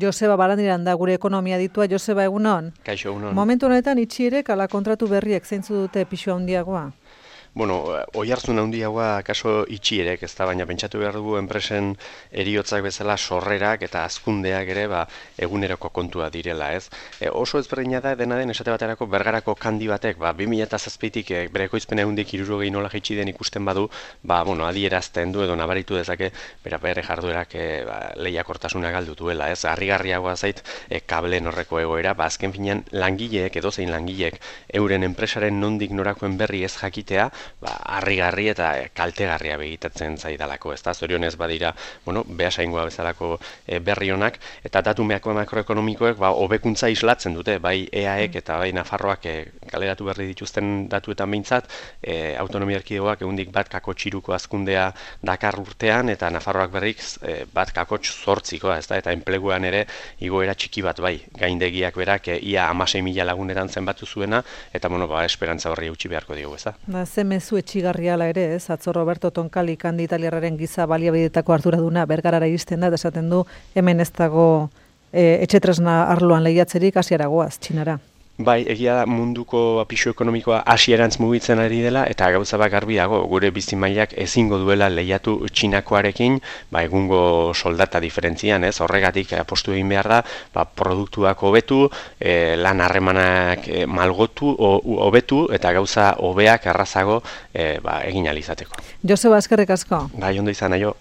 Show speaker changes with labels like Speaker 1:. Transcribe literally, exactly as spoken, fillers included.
Speaker 1: Joseba Barandiran da gure ekonomia ditua. Joseba, egunon?
Speaker 2: Kaixo, egunon.
Speaker 1: Momentu honetan itxierek ala kontratu berriek zeintzu dute pisu handiagoa?
Speaker 2: Bueno, oihartzun handiagoa kaso itxierek, ez da, baina pentsatu behar dugu enpresen eriotzak bezala sorrerak eta hazkundeak ere ba, eguneroko kontua direla, ez? E, oso ezberdina da, dena den esate baterako Bergarako kandi batek, ba, bi mila zazpitik e, bere ekoizpen ehundik hirurogei nola jaitsi den ikusten badu, ba, bueno, adierazten du edo nabaritu dezake, bera bere jarduerak e, ba, lehiakortasuna galdu duela, ez? Harrigarriagoa zait e, kableen horreko egoera, ba, azken finean langileek, edozein langileek, euren enpresaren nondik norakoen berri ez jakitea, ba, harrigarri eta kaltegarria begitatzen zaidalako, ez da, zorionez badira, bueno, behasaingoa bezalako e, berri honak, eta datu makroekonomikoek, ba, hobekuntza islatzen dute, bai E A ek eta bai Nafarroak e, kaleratu berri dituzten datuetan behintzat, e, autonomia erkidegoak ehundik bat kako txiruko hazkundea dakar urtean, eta Nafarroak berrik e, bat kako zortzikoa, ez da, eta enpleguan ere igoera txiki bat, bai, gaindegiak berak, e, ia hamasei mila laguneran zenbatu zuena, eta, bueno, ba, esperantza horri utzi beharko diogu, ez da.
Speaker 1: Ba, ze mezu etxigarriala ere, ez? Atzo Roberto Tonkali kandi italiarraren giza baliabidetako arduraduna Bergarara iristen da, esaten du hemen ez dago e, etxetresna arloan lehiatzerik hasieragoaz, Txinara.
Speaker 2: Bai, egia da munduko pisu ekonomikoa hasierantz mugitzen ari dela, eta gauza bak garbi dago, gure bizimailak ezingo duela lehiatu Txinakoarekin, ba, egungo soldata diferentzian, ez? Horregatik apostu egin behar da, ba, produktuak hobetu, e, lan harremanak e, malgotu, hobetu, eta gauza hobeak errazago e, ba, egin ahal izateko.
Speaker 1: Joseba, eskerrik asko.
Speaker 2: Bai, ondo izan, aio.